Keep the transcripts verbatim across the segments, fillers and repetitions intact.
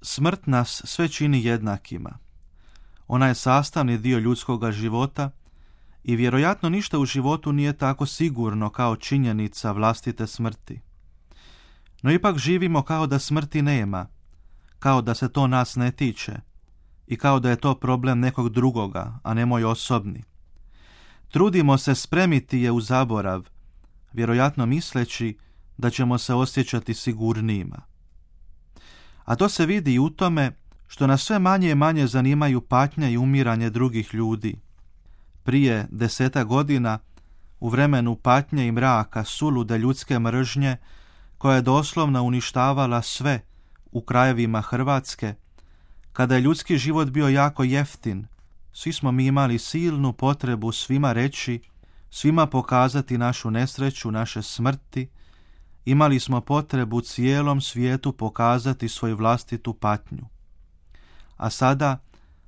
Smrt nas sve čini jednakima. Ona je sastavni dio ljudskoga života i vjerojatno ništa u životu nije tako sigurno kao činjenica vlastite smrti. No ipak živimo kao da smrti nema, kao da se to nas ne tiče i kao da je to problem nekog drugoga, a ne moj osobni. Trudimo se spremiti je u zaborav, vjerojatno misleći da ćemo se osjećati sigurnijima. A to se vidi i u tome što nas sve manje i manje zanimaju patnje i umiranje drugih ljudi. Prije deseta godina, u vremenu patnje i mraka sulude ljudske mržnje, koja je doslovno uništavala sve u krajevima Hrvatske, kada je ljudski život bio jako jeftin, svi smo mi imali silnu potrebu svima reći, svima pokazati našu nesreću, naše smrti, imali smo potrebu cijelom svijetu pokazati svoju vlastitu patnju. A sada,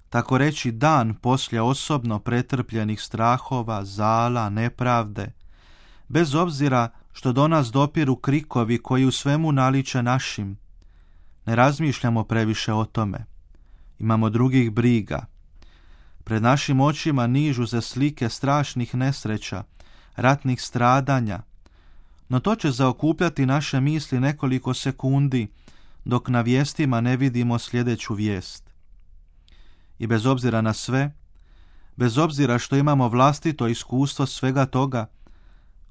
tako reći dan poslije osobno pretrpljenih strahova, zala, nepravde, bez obzira što do nas dopiru krikovi koji u svemu naliče našim, ne razmišljamo previše o tome. Imamo drugih briga. Pred našim očima nižu se slike strašnih nesreća, ratnih stradanja, no to će zaokupljati naše misli nekoliko sekundi, dok na vijestima ne vidimo sljedeću vijest. I bez obzira na sve, bez obzira što imamo vlastito iskustvo svega toga,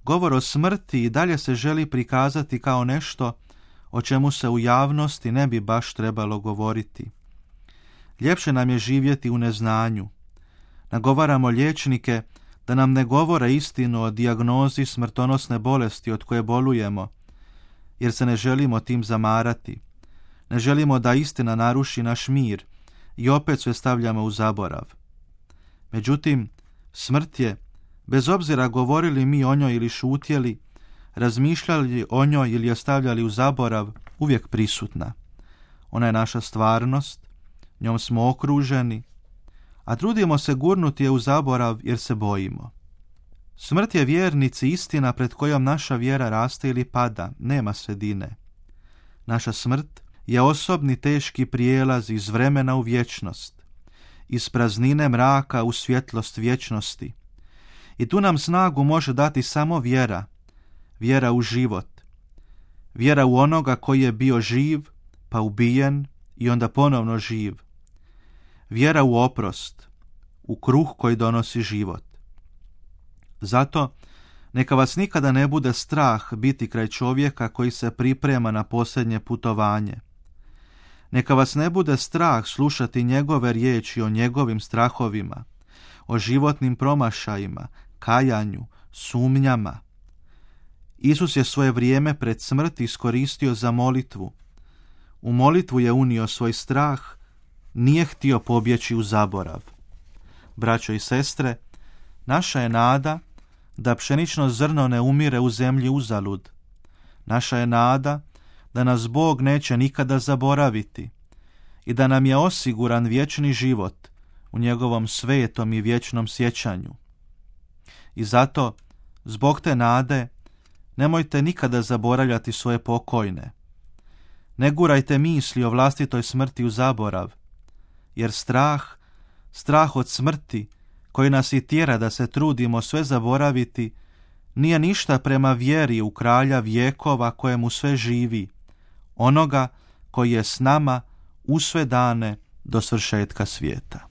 govor o smrti i dalje se želi prikazati kao nešto o čemu se u javnosti ne bi baš trebalo govoriti. Ljepše nam je živjeti u neznanju. Nagovaramo liječnike da nam ne govore istinu o dijagnozi smrtonosne bolesti od koje bolujemo, jer se ne želimo tim zamarati. Ne želimo da istina naruši naš mir i opet sve stavljamo u zaborav. Međutim, smrt je, bez obzira govorili mi o njoj ili šutjeli, razmišljali o njoj ili je stavljali u zaborav, uvijek prisutna. Ona je naša stvarnost, njom smo okruženi, a trudimo se gurnuti je u zaborav jer se bojimo. Smrt je vjernici istina pred kojom naša vjera raste ili pada, nema sredine. Naša smrt je osobni teški prijelaz iz vremena u vječnost, iz praznine mraka u svjetlost vječnosti. I tu nam snagu može dati samo vjera, vjera u život, vjera u onoga koji je bio živ, pa ubijen i onda ponovno živ. Vjera u oprost, u kruh koji donosi život. Zato neka vas nikada ne bude strah biti kraj čovjeka koji se priprema na posljednje putovanje. Neka vas ne bude strah slušati njegove riječi o njegovim strahovima, o životnim promašajima, kajanju, sumnjama. Isus je svoje vrijeme pred smrt iskoristio za molitvu. U molitvu je unio svoj strah, nije htio pobjeći u zaborav. Braćo i sestre, naša je nada da pšenično zrno ne umire u zemlji uzalud. Naša je nada da nas Bog neće nikada zaboraviti i da nam je osiguran vječni život u njegovom svetom i vječnom sjećanju. I zato, zbog te nade, nemojte nikada zaboravljati svoje pokojne. Ne gurajte misli o vlastitoj smrti u zaborav, jer strah, strah od smrti, koji nas i tjera da se trudimo sve zaboraviti, nije ništa prema vjeri u kralja vjekova kojemu sve živi, onoga koji je s nama u sve dane do svršetka svijeta.